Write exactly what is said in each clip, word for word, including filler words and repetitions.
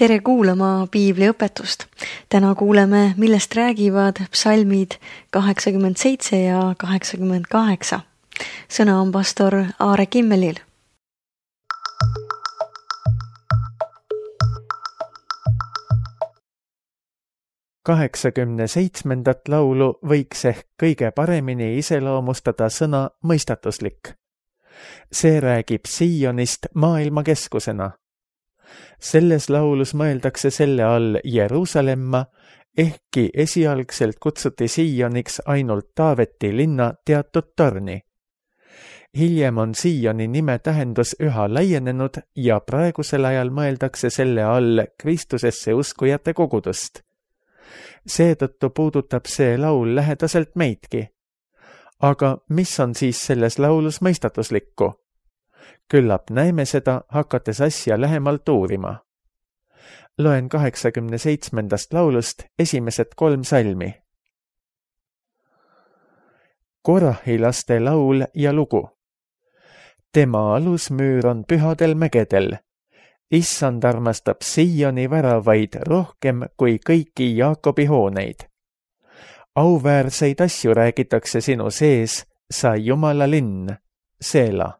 Tere kuulama piibliõpetust. Täna kuuleme, millest räägivad psalmid kaheksakümmend seitse ja kaheksakümmend kaheksa. Sõna on pastor Aare Kimmelil. kaheksakümne seitsmendat laulu võiks ehk kõige paremini iseloomustada sõna mõistatuslik. See räägib Siionist maailma keskusena. Selles laulus mõeldakse selle all Jeruusalemma, ehkki esialgselt kutsuti Sioniks ainult Taaveti linna teatud torni. Hiljem on Sioni nime tähendus üha laienenud ja praegusel ajal mõeldakse selle all Kristusesse uskujate kogudust. Seetõttu puudutab see laul lähedaselt meidki. Aga mis on siis selles laulus mõistatuslikku? Küllap näeme seda, hakates asja lähemalt uurima. Loen kaheksakümne seitsmendast laulust esimesed kolm salmi. Korahi laste laul ja lugu. Tema alusmüür on pühadel mägedel. Issand armastab Sioni väravaid rohkem kui kõiki Jaakobi hooneid. Auväärseid asju räägitakse sinu sees, sa Jumala linn, Seela.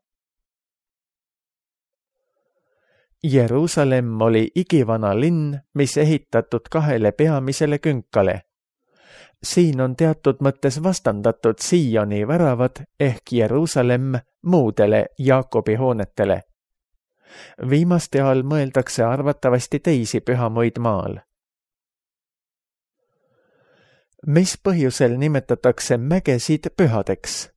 Jeruusalemm oli igivana linn, mis ehitatud kahele peamisele künkale. Siin on teatud mõttes vastandatud Sioni väravad ehk Jeruusalemm muudele Jaakobi hoonetele. Viimaste all mõeldakse arvatavasti teisi pühamuid maal. Mis põhjusel nimetatakse mägesid pühadeks?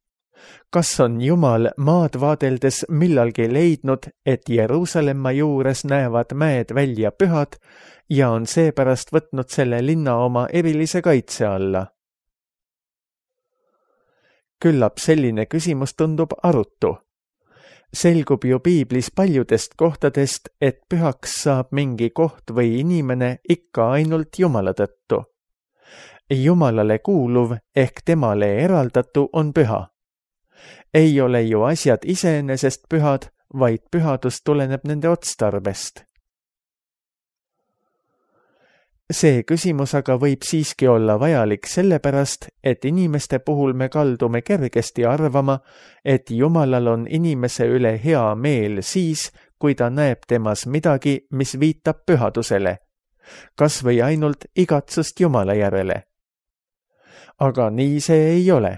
Kas on Jumal maad vaadeldes millalgi leidnud, et Jeruusalemma juures näevad mäed välja pühad ja on seepärast võtnud selle linna oma erilise kaitse alla? Küllap selline küsimus tundub arutu. Selgub ju piiblis paljudest kohtadest, et pühaks saab mingi koht või inimene ikka ainult Jumala tõttu. Jumalale kuuluv ehk temale eraldatu on püha. Ei ole ju asjad iseenesest pühad, vaid pühadus tuleneb nende otstarbest. See küsimus aga võib siiski olla vajalik sellepärast, et inimeste puhul me kaldume kergesti arvama, et Jumalal on inimese üle hea meel siis, kui ta näeb temas midagi, mis viitab pühadusele, kas või ainult igatsust Jumala järele. Aga nii see ei ole.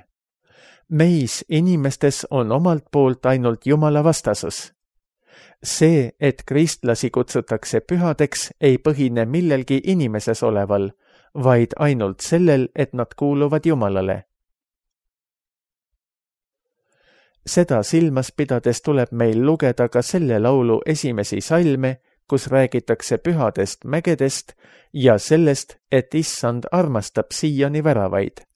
Meis inimestes on omalt poolt ainult Jumala vastasus. See, et kristlasi kutsutakse pühadeks, ei põhine millelgi inimeses oleval, vaid ainult sellel, et nad kuuluvad Jumalale. Seda silmas pidades tuleb meil lugeda ka selle laulu esimesi salme, kus räägitakse pühadest mägedest ja sellest, et Issand armastab Sioni väravaid.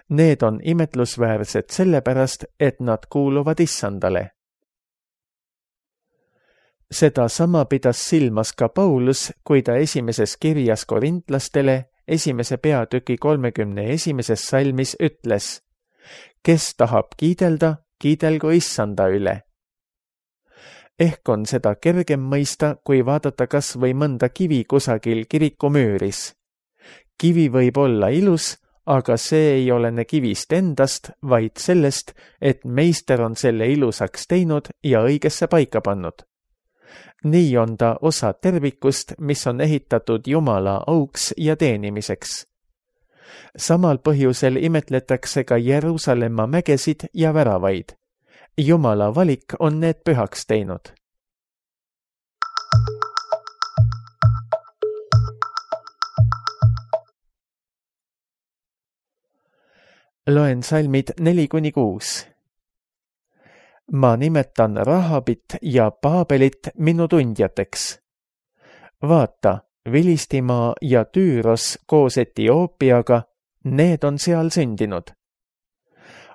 Need on imetlusväärsed sellepärast, et nad kuuluvad Issandale. Seda sama pidas silmas ka Paulus, kui ta esimeses kirjas korintlastele esimese peatüki kolmekümne esimeses salmis ütles: kes tahab kiidelda, kiidelgu Issanda üle. Ehk on seda kergem mõista, kui vaadata kas või mõnda kivi kusagil kirikumüüris. Kivi võib olla ilus, aga see ei olene kivist endast, vaid sellest, et meister on selle ilusaks teinud ja õigesse paika pannud. Nii on ta osa tervikust, mis on ehitatud Jumala auks ja teenimiseks. Samal põhjusel imetletakse ka Jeruusalemma mägesid ja väravaid. Jumala valik on need pühaks teinud. Loen salmid neli kuni kuus. Ma nimetan Rahabit ja Paabelit minu tundjateks. Vaata, Vilistimaa ja Tüüros koos Etioopiaga, need on seal sündinud.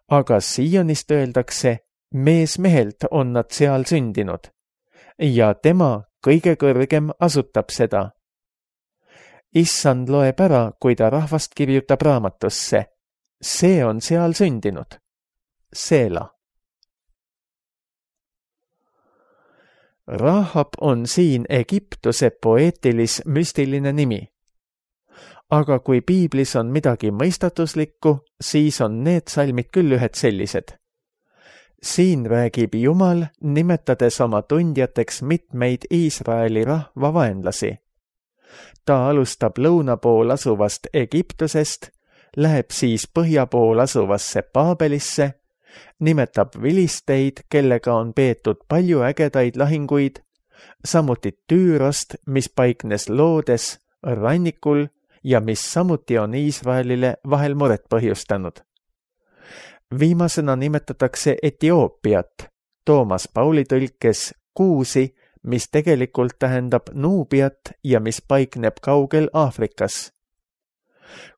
Aga Sionist öeldakse, mees mehelt on nad seal sündinud. Ja tema kõige kõrgem asutab seda. Issand loeb ära, kui ta rahvast kirjutab raamatusse. See on seal sündinud. Seela. Rahab on siin Egiptuse poeetilis-müstiline nimi. Aga kui piiblis on midagi mõistatuslikku, siis on need salmid küll ühed sellised. Siin räägib Jumal, nimetades oma tundjateks mitmeid Iisraeli rahva vaenlasi. Ta alustab lõuna pool asuvast Egiptusest, läheb siis põhja pool asuvasse Paabelisse, nimetab vilisteid, kellega on peetud palju ägedaid lahinguid, samuti Tüürost, mis paiknes loodes, rannikul ja mis samuti on Iisraelile vahel muret põhjustanud. Viimasena nimetatakse Etioopiat, Toomas Pauli tõlkes Kuusi, mis tegelikult tähendab Nuubiat ja mis paikneb kaugel Aafrikas.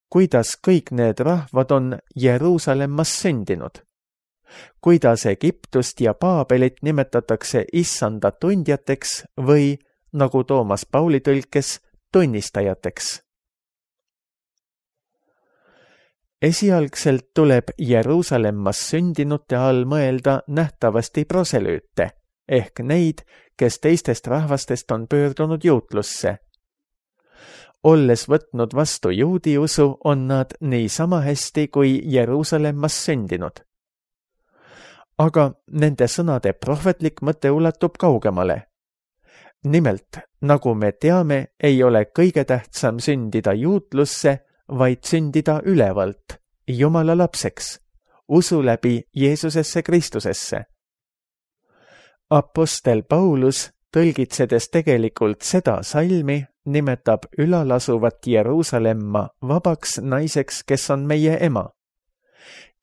Kuidas kõik need rahvad on Jeruusalemmas sündinud? Kuidas Egiptust ja Paabelit nimetatakse issanda tundjateks või, nagu Toomas Pauli tõlkes, tunnistajateks? Esialgselt tuleb Jeruusalemmas sündinute all mõelda nähtavasti proselüüte, ehk neid, kes teistest rahvastest on pöördunud juutlusse. Olles võtnud vastu juudi usu, on nad nii sama hästi kui Jeruusalemmas sündinud. Aga nende sõnade prohvetlik mõte ulatub kaugemale. Nimelt, nagu me teame, ei ole kõige tähtsam sündida juutlusse, vaid sündida ülevalt, Jumala lapseks, usu läbi Jeesusesse Kristusesse. Apostel Paulus, tõlgitsedes tegelikult seda salmi, nimetab ülalasuvat Jeruusalemma vabaks naiseks, kes on meie ema.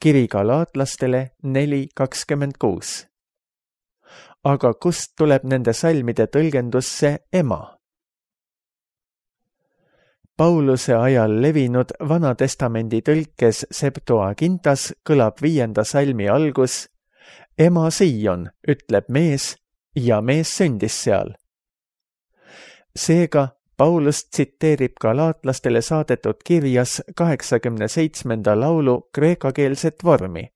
Kiri galaatlastele neli kakskümmend kuus. Aga kust tuleb nende salmide tõlgendusse ema? Pauluse ajal levinud Vanatestamendi tõlkes Septuagintas kõlab viienda salmi algus: ema Sion, ütleb mees, ja mees sündis seal. Seega Paulus tsiteerib galaatlastele saadetud kirjas kaheksakümne seitsmenda laulu kreekakeelset vormi.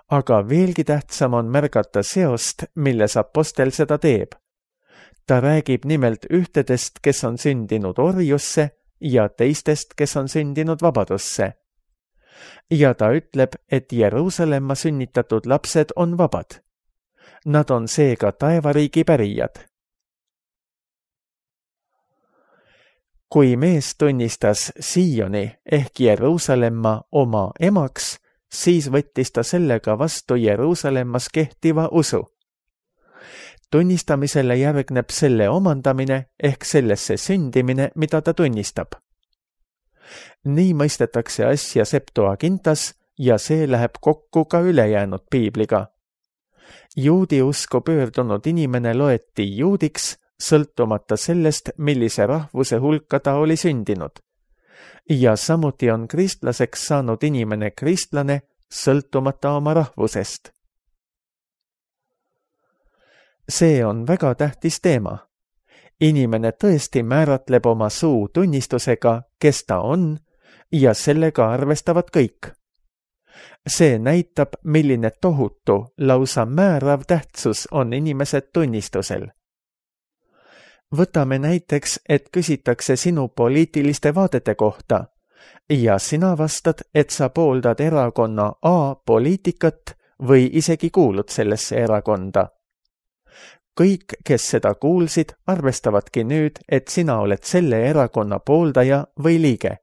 Aga veelgi tähtsam on märgata seost, milles apostel seda teeb. Ta räägib nimelt ühtedest, kes on sündinud orjusse ja teistest, kes on sündinud vabadusse. Ja ta ütleb, et Jeruusalemma sünnitatud lapsed on vabad. Nad on seega taevariigi pärijad. Kui mees tunnistas Sioni ehk Jeruusalemma oma emaks, siis võttis ta sellega vastu Jeruusalemmas kehtiva usu. Tunnistamisele järgneb selle omandamine ehk sellesse sündimine, mida ta tunnistab. Nii mõistetakse asja Septuagintas ja see läheb kokku ka ülejäänud piibliga. Juudi usku pöördunud inimene loeti juudiks, sõltumata sellest, millise rahvuse hulka ta oli sündinud. Ja samuti on kristlaseks saanud inimene kristlane, sõltumata oma rahvusest. See on väga tähtis teema. Inimene tõesti määratleb oma suu tunnistusega, kes ta on, ja sellega arvestavad kõik. See näitab, milline tohutu, lausa määrav tähtsus on inimese tunnistusel. Võtame näiteks, et küsitakse sinu poliitiliste vaadete kohta ja sina vastad, et sa pooldad erakonna A poliitikat või isegi kuulud sellesse erakonda. Kõik, kes seda kuulsid, arvestavadki nüüd, et sina oled selle erakonna pooldaja või liige.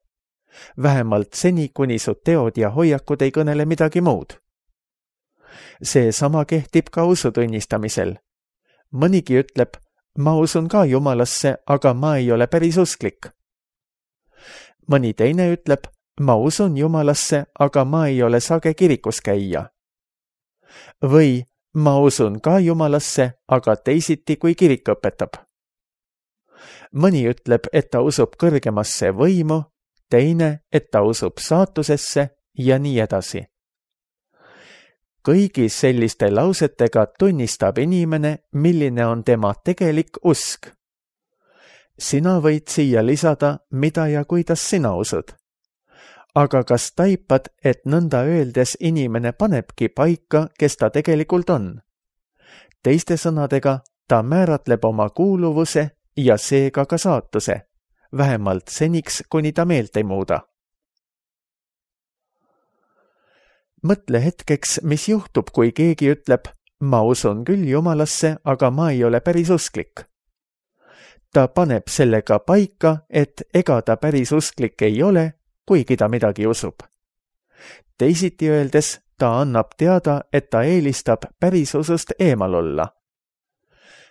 Vähemalt seni, kuni su teod ja hoiakud ei kõnele midagi muud. See sama kehtib ka usu tunnistamisel. Mõnigi ütleb, ma usun ka Jumalasse, aga ma ei ole päris usklik. Mõni teine ütleb, ma usun Jumalasse, aga ma ei ole sage kirikus käija. Või ma usun ka Jumalasse, aga teisiti kui kirik õpetab. Mõni ütleb, et ta usub kõrgemasse võimu, teine, et ta usub saatusesse ja nii edasi. Kõigi selliste lausetega tunnistab inimene, milline on tema tegelik usk. Sina võid siia lisada, mida ja kuidas sina usud. Aga kas taipad, et nõnda öeldes inimene panebki paika, kes ta tegelikult on? Teiste sõnadega, ta määratleb oma kuuluvuse ja seega ka saatuse, vähemalt seniks, kuni ta meelt ei muuda. Mõtle hetkeks, mis juhtub, kui keegi ütleb, ma usun küll Jumalasse, aga ma ei ole päris usklik. Ta paneb sellega paika, et ega ta päris usklik ei ole, kuigi ta midagi usub. Teisiti öeldes, ta annab teada, et ta eelistab päris usust eemal olla.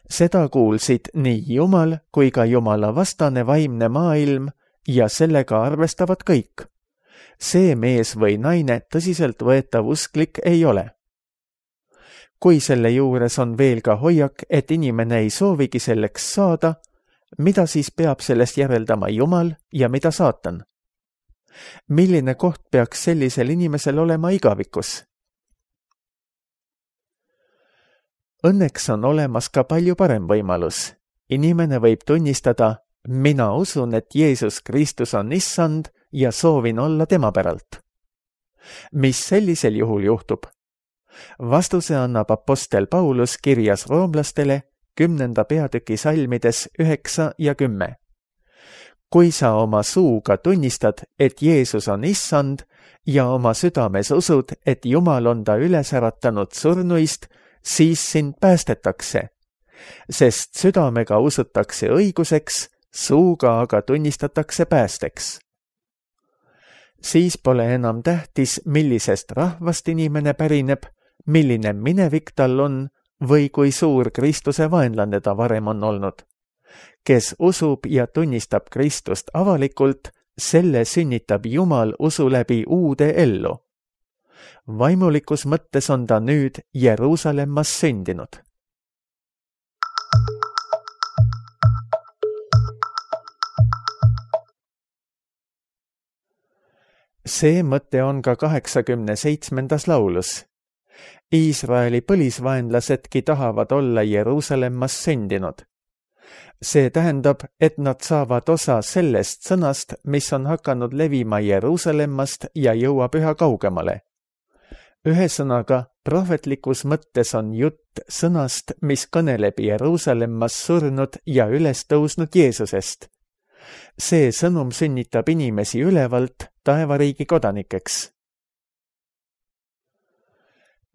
Seda kuulsid nii Jumal kui ka Jumala vastane vaimne maailm ja sellega arvestavad kõik. See mees või naine tõsiselt võetav usklik ei ole. Kui selle juures on veel ka hoiak, et inimene ei soovigi selleks saada, mida siis peab sellest järeldama Jumal ja mida saatan? Milline koht peaks sellisel inimesel olema igavikus? Õnneks on olemas ka palju parem võimalus. Inimene võib tunnistada, mina usun, et Jeesus Kristus on issand ja soovin olla tema päralt. Mis sellisel juhul juhtub? Vastuse annab apostel Paulus kirjas roomlastele kümnenda peatüki salmides üheksa ja kümme. Kui sa oma suuga tunnistad, et Jeesus on issand ja oma südames usud, et Jumal on ta üles äratanud surnuist, siis sind päästetakse, sest südamega usutakse õiguseks, suuga aga tunnistatakse päästeks. Siis pole enam tähtis, millisest rahvast inimene pärineb, milline minevik tal on või kui suur Kristuse vaenlane ta varem on olnud. Kes usub ja tunnistab Kristust avalikult, selle sünnitab Jumal usu läbi uude ellu. Vaimulikus mõttes on ta nüüd Jeruusalemmas sündinud. See mõte on ka kaheksakümne seitsmendas laulus. Iisraeli põlisvaenlasedki tahavad olla Jeruusalemmas sündinud. See tähendab, et nad saavad osa sellest sõnast, mis on hakanud levima Jeruusalemmast ja jõuab üha kaugemale. Ühesõnaga, prohvetlikus mõttes on jutt sõnast, mis kõneleb Jeruusalemmas surnud ja üles tõusnud Jeesusest. See sõnum sünnitab inimesi ülevalt taevariigi kodanikeks.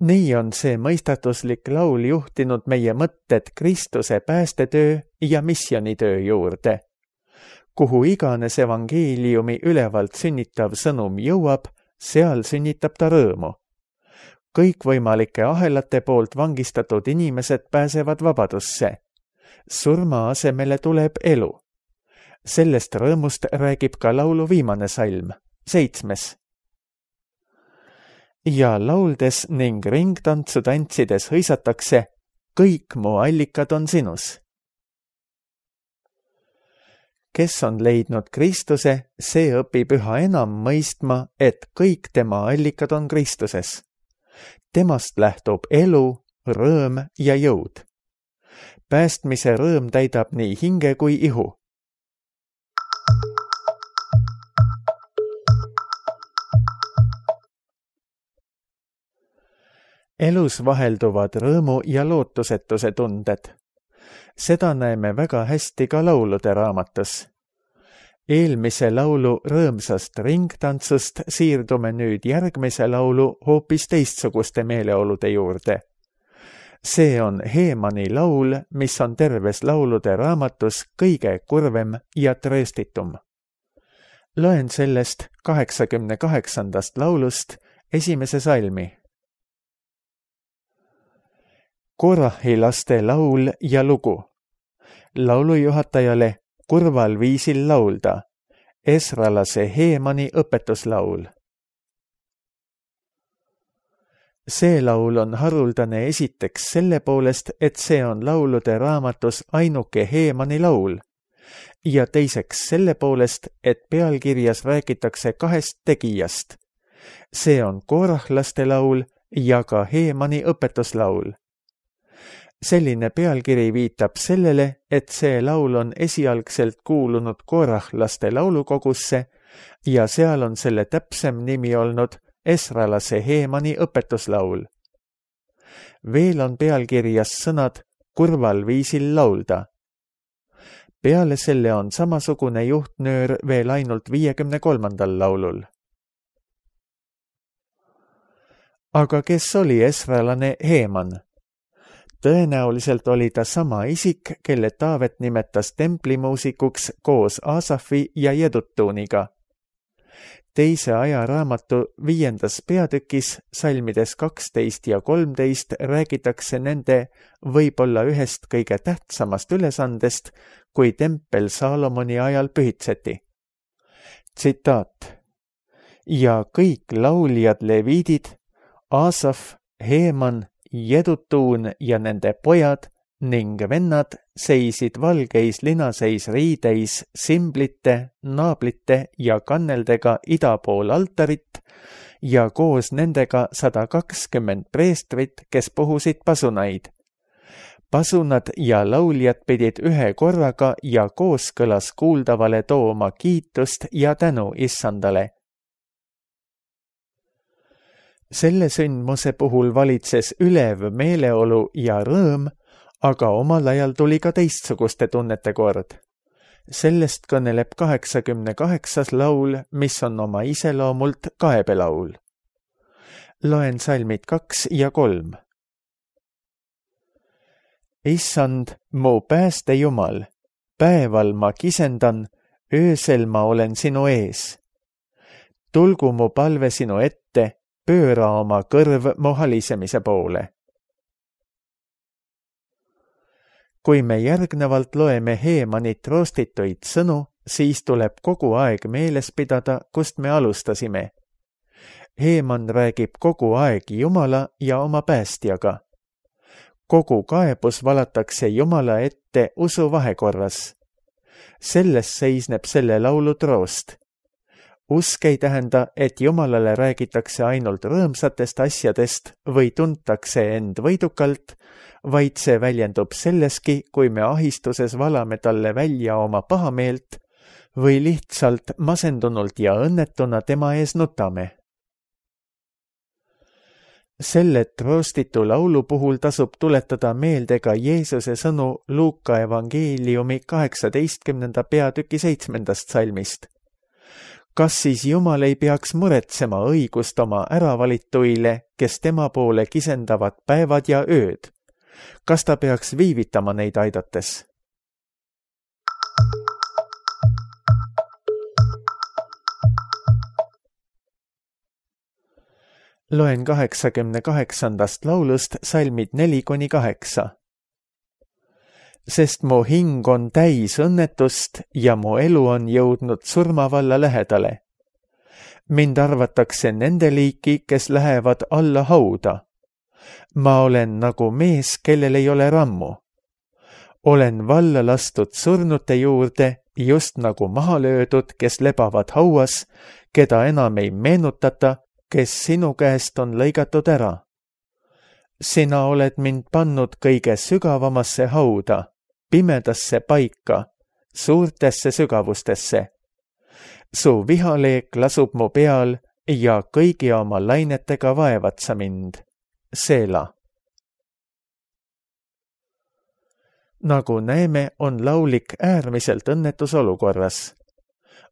Nii on see mõistatuslik laul juhtinud meie mõtted Kristuse päästetöö ja missionitöö juurde. Kuhu iganes evangeeliumi ülevalt sünnitav sõnum jõuab, seal sünnitab ta rõõmu. Kõikvõimalike ahelate poolt vangistatud inimesed pääsevad vabadusse. Surma asemele tuleb elu. Sellest rõõmust räägib ka laulu viimane salm, seitsmes. Ja lauldes ning ringtantsu tantsides hõisatakse, kõik mu allikad on sinus. Kes on leidnud Kristuse, see õpib üha enam mõistma, et kõik tema allikad on Kristuses. Temast lähtub elu, rõõm ja jõud. Päästmise rõõm täidab nii hinge kui ihu. Elus vahelduvad rõõmu ja lootusetuse tunded. Seda näeme väga hästi ka laulude raamatus. Eelmise laulu rõõmsast ringtantsust siirdume nüüd järgmise laulu hoopis teistsuguste meeleolude juurde. See on Heemani laul, mis on terves laulude raamatus kõige kurvem ja trööstitum. Loen sellest kaheksakümne kaheksandast laulust esimese salmi. Korahi laste laul ja lugu. Laulujuhatajale kurval viisil laulda. Esralase Heemani õpetuslaul. See laul on haruldane esiteks selle poolest, et see on laulude raamatus ainuke Heemani laul. Ja teiseks selle poolest, et pealkirjas räägitakse kahest tegijast. See on korahlaste laul ja ka Heemani õpetuslaul. Selline pealkiri viitab sellele, et see laul on esialgselt kuulunud korahlaste laulukogusse ja seal on selle täpsem nimi olnud Esralase Heemani õpetuslaul. Veel on pealkirjas sõnad kurval viisil laulda. Peale selle on samasugune juhtnöör veel ainult viiekümne kolmandal laulul. Aga kes oli esralane Heeman? Tõenäoliselt oli ta sama isik, kelle Taavet nimetas templimuusikuks koos Aasafi ja Jedutuuniga. Teise ajaraamatu viiendas peatükis, salmides kaksteist ja kolmteist, räägitakse nende võib-olla ühest kõige tähtsamast ülesandest, kui tempel Saalomoni ajal pühitseti. Tsitaat. Ja kõik lauljad leviidid, Aasaf, Heeman, Jedutuun ja nende pojad ning vennad seisid valgeis linaseis riideis simblite, naablite ja kanneldega ida pool altarit ja koos nendega sada kakskümmend preestrit, kes puhusid pasunaid. Pasunad ja lauljad pidid ühe korraga ja kooskõlas kuuldavale tooma kiitust ja tänu issandale. Selle sündmuse puhul valitses ülev meeleolu ja rõõm, aga omal ajal tuli ka teistsuguste tunnete kord. Sellest kõneleb kaheksakümne kaheksas laul, mis on oma iseloomult kaebelaul. Loen salmid kaks ja kolm. Issand, mu pääste Jumal, päeval ma kisendan, öösel ma olen sinu ees. Tulgu mu palve sinu ette, pööra oma kõrv mu halisemise poole. Kui me järgnevalt loeme Heemanit roostituid sõnu, siis tuleb kogu aeg meeles pidada, kust me alustasime. Heeman räägib kogu aeg Jumala ja oma päästjaga. Kogu kaebus valatakse Jumala ette usu vahekorras. Selles seisneb selle laulu troost. Usk ei tähenda, et Jumalale räägitakse ainult rõõmsatest asjadest või tuntakse end võidukalt, vaid see väljendub selleski, kui me ahistuses valame talle välja oma pahameelt või lihtsalt masendunult ja õnnetuna tema ees nutame. Selle troostitu laulu puhul tasub tuletada meelde ka Jeesuse sõnu Luuka evangeeliumi kaheksateistkümnenda peatüki seitsmendast salmist. Kas siis Jumal ei peaks muretsema õigust oma äravalituile, kes tema poole kisendavad päevad ja ööd? Kas ta peaks viivitama neid aidates? Loen kaheksakümne kaheksandast laulust salmid neli kuni kaheksa. Sest mu hing on täis õnnetust ja mu elu on jõudnud surmavalla lähedale. Mind arvatakse nende liiki, kes lähevad alla hauda. Ma olen nagu mees, kellel ei ole rammu. Olen valla lastud surnute juurde, just nagu maha löödud, kes lebavad hauas, keda enam ei meenutata, kes sinu käest on lõigatud ära. Sina oled mind pannud kõige sügavamasse hauda, pimedasse paika, suurtesse sügavustesse. Su vihaleek lasub mu peal ja kõigi oma lainetega vaevad sa mind. Seela. Nagu näeme, on laulik äärmiselt õnnetus olukorras.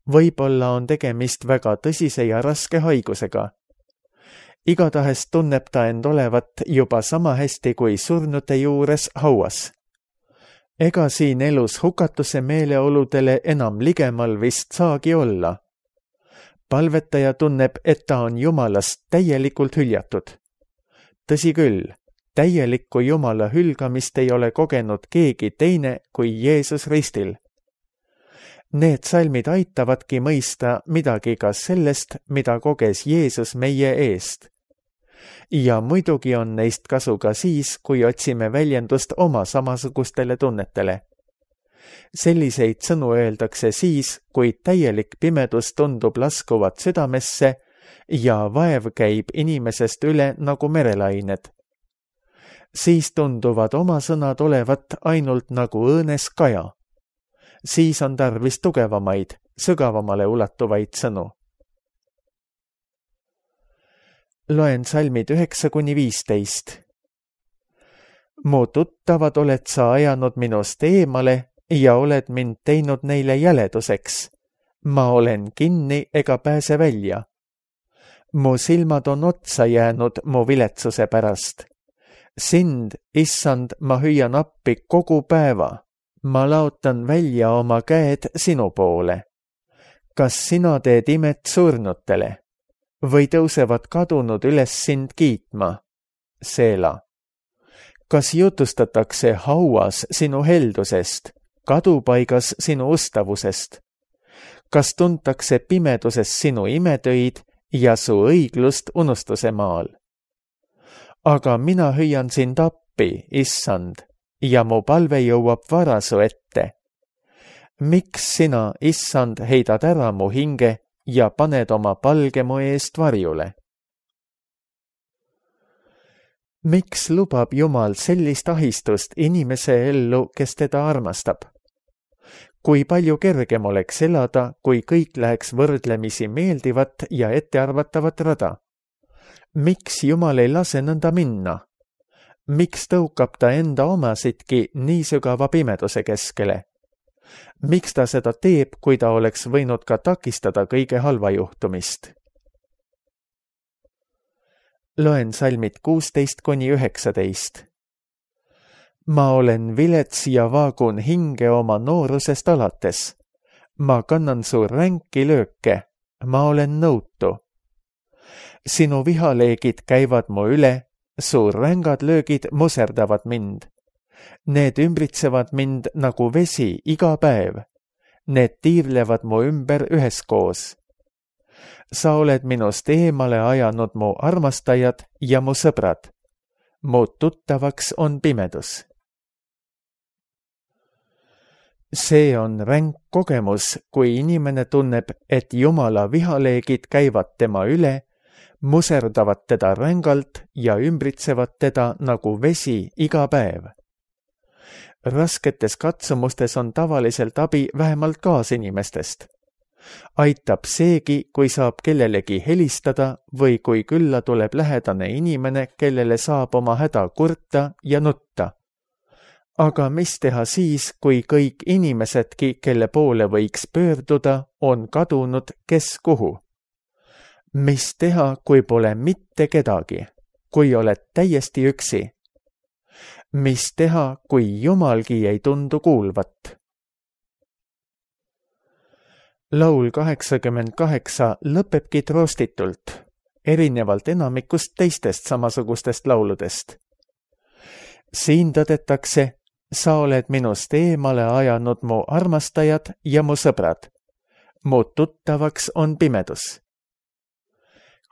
Võib-olla on tegemist väga tõsise ja raske haigusega. Igatahes tunneb ta end olevat juba sama hästi kui surnute juures hauas. Ega siin elus hukatuse meeleoludele enam ligemal vist saagi olla. Palvetaja tunneb, et ta on Jumalast täielikult hüljatud. Tõsi küll, täielikku Jumala hülgamist ei ole kogenud keegi teine kui Jeesus ristil. Need salmid aitavadki mõista midagi ka sellest, mida koges Jeesus meie eest. Ja muidugi on neist kasu ka siis, kui otsime väljendust oma samasugustele tunnetele. Selliseid sõnu öeldakse siis, kui täielik pimedus tundub laskuvat südamesse ja vaev käib inimesest üle nagu merelained. Siis tunduvad oma sõnad olevat ainult nagu õõnes kaja. Siis on tarvis tugevamaid, sügavamale ulatuvaid sõnu. Loen salmid üheksa kuni viisteist. mu tuttavad oled sa ajanud minust eemale ja oled mind teinud neile jäleduseks. Ma olen kinni ega pääse välja. Mu silmad on otsa jäänud mu viletsuse pärast. Sind, issand, ma hüüan appi kogu päeva. Ma laotan välja oma käed sinu poole. Kas sina teed imet surnutele või tõusevad kadunud üles sind kiitma? Seela. Kas jutustatakse hauas sinu heldusest, kadupaigas sinu ustavusest? Kas tuntakse pimeduses sinu imetöid ja su õiglust unustuse maal? Aga mina hüüan sind appi, issand, ja mu palve jõuab vara su ette. Miks sina, issand, heidad ära mu hinge ja paned oma palge mu eest varjule? Miks lubab Jumal sellist ahistust inimese ellu, kes teda armastab? Kui palju kergem oleks elada, kui kõik läheks võrdlemisi meeldivat ja ettearvatavat rada? Miks Jumal ei lase nõnda minna? Miks tõukab ta enda omasidki nii sügava pimeduse keskele? Miks ta seda teeb, kui ta oleks võinud ka takistada kõige halva juhtumist? Loen salmid kuusteist kuni üheksateist. Ma olen vilets ja vaagun hinge oma noorusest alates. Ma kannan su ränki lööke, ma olen nõutu. Sinu vihaleegid käivad mu üle, su rängad löögid muserdavad mind. Need ümbritsevad mind nagu vesi iga päev. Need tiirlevad mu ümber üheskoos. Sa oled minust eemale ajanud mu armastajad ja mu sõbrad. Mu tuttavaks on pimedus. See on ränk kogemus, kui inimene tunneb, et Jumala vihaleegid käivad tema üle, muserdavad teda rängalt ja ümbritsevad teda nagu vesi iga päev. Rasketes katsumustes on tavaliselt abi vähemalt kaasinimestest. Aitab seegi, kui saab kellelegi helistada või kui külla tuleb lähedane inimene, kellele saab oma häda kurta ja nutta. Aga mis teha siis, kui kõik inimesedki, kelle poole võiks pöörduda, on kadunud kes kuhu? Mis teha, kui pole mitte kedagi, kui oled täiesti üksi? Mis teha, kui Jumalgi ei tundu kuulvat? Laul kaheksakümmend kaheksa lõpebki troostitult, erinevalt enamikust teistest samasugustest lauludest. Siin tõdetakse, sa oled minust eemale ajanud mu armastajad ja mu sõbrad. Mu tuttavaks on pimedus.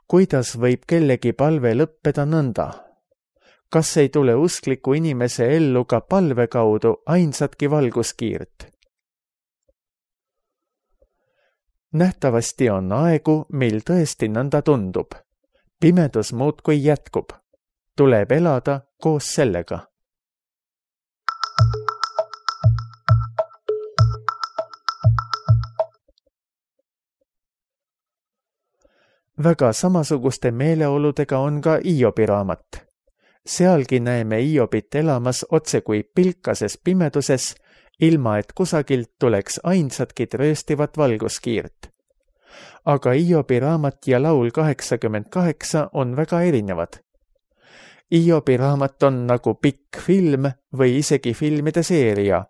Kuidas võib kellegi palve lõppeda nõnda? Kas ei tule uskliku inimese ellu ka palve kaudu ainsatki valguskiirt? Nähtavasti on aegu, mil tõesti nõnda tundub. Pimedus muudkui jätkub. Tuleb elada koos sellega. Väga samasuguste meeleoludega on ka Iobi raamat. Sealgi näeme Iobit elamas otse kui pilkases pimeduses, ilma et kusagilt tuleks ainsatki trööstivat valguskiirt. Aga Iobi raamat ja laul kaheksakümmend kaheksa on väga erinevad. Iobi raamat on nagu pikk film või isegi filmide seeria.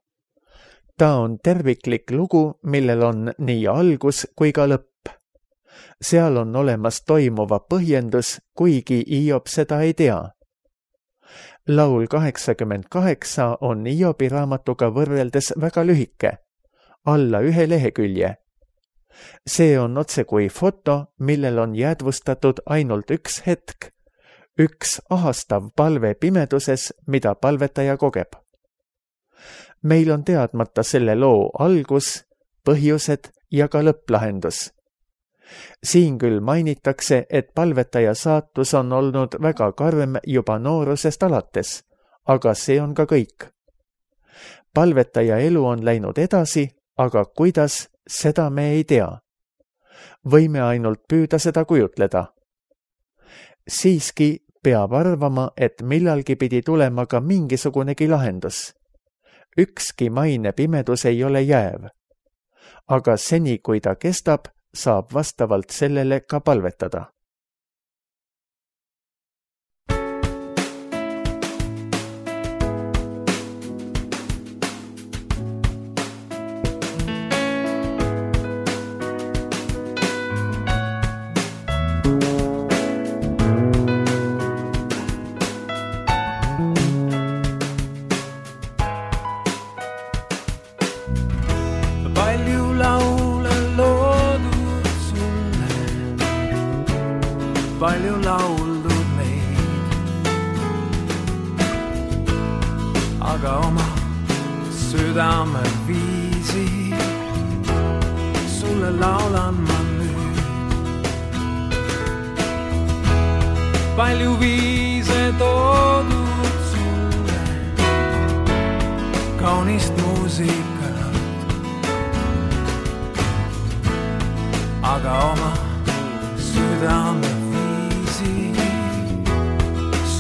Ta on terviklik lugu, millel on nii algus kui ka lõpp. Seal on olemas toimuva põhjendus, kuigi Iob seda ei tea. Laul kaheksakümmend kaheksa on Iobi raamatuga võrreldes väga lühike, alla ühe lehekülje. See on otse kui foto, millel on jäädvustatud ainult üks hetk, üks ahastav palve pimeduses, mida palvetaja kogeb. Meil on teadmata selle loo algus, põhjused ja ka lõpplahendus. Siin küll mainitakse, et palvetaja saatus on olnud väga karm juba noorusest alates, aga see on ka kõik. Palvetaja elu on läinud edasi, aga kuidas, seda me ei tea. Võime ainult püüda seda kujutleda. Siiski peab arvama, et millalgi pidi tulema ka mingisugunegi lahendus. Ükski maine pimedus ei ole jääv. Aga seni, kui ta kestab, saab vastavalt sellele ka palvetada. Palju lauldud meid, aga oma südame viisi sulle laulan ma nüüd. Palju viise toodud sulle, kaunist muusikat, aga oma südame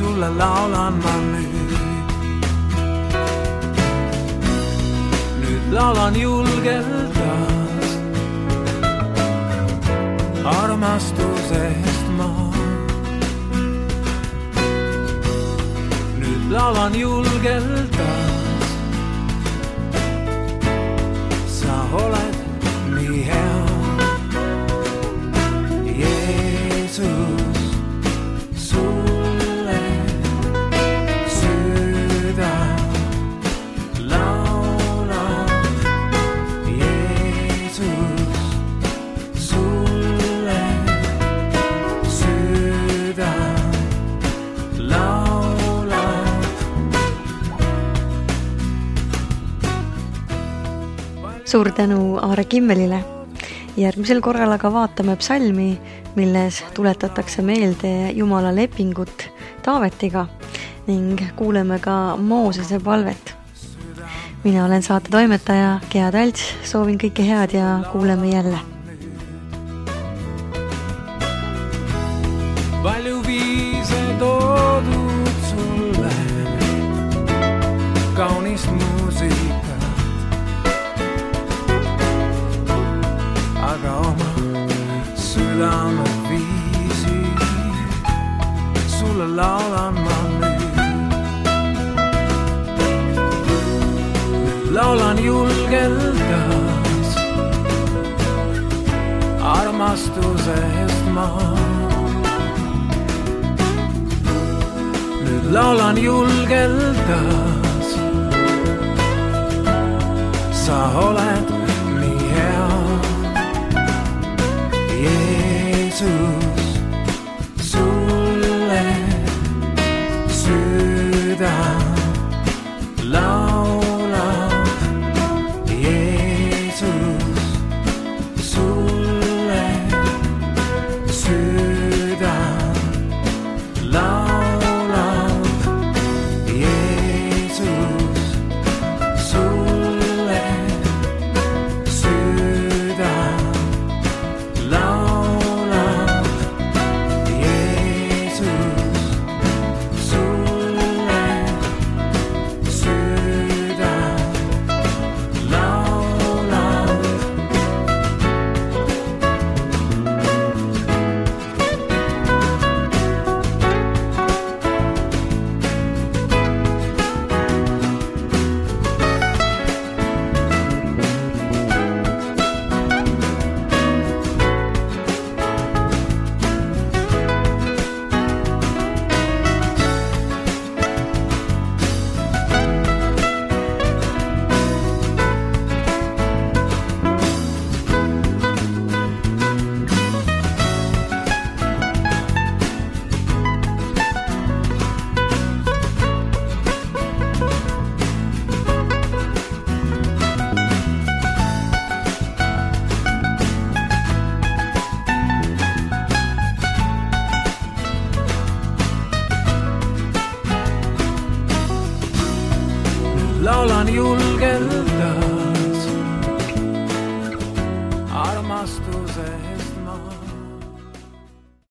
sulle laulan ma nüüd. Nüüd laulan julgelt taas armastusest ma. Nüüd laulan julgelt taas, sa oled nii hea, Jeesus. Suur tänu Aare Kimmelile. Järgmisel korral aga vaatame psalmi, milles tuletatakse meelde Jumala lepingut Taavetiga ning kuuleme ka Moosese palvet. Mina olen saate toimetaja Gea Talts, soovin kõike head ja kuuleme jälle. Palju viise toodud sulle, kaunist muusikat, aga oma südame viisi sulle laulan ma nüüd. Nüüd laulan julgelt taas armastusest ma. Nüüd laulan julgelt taas, sa oled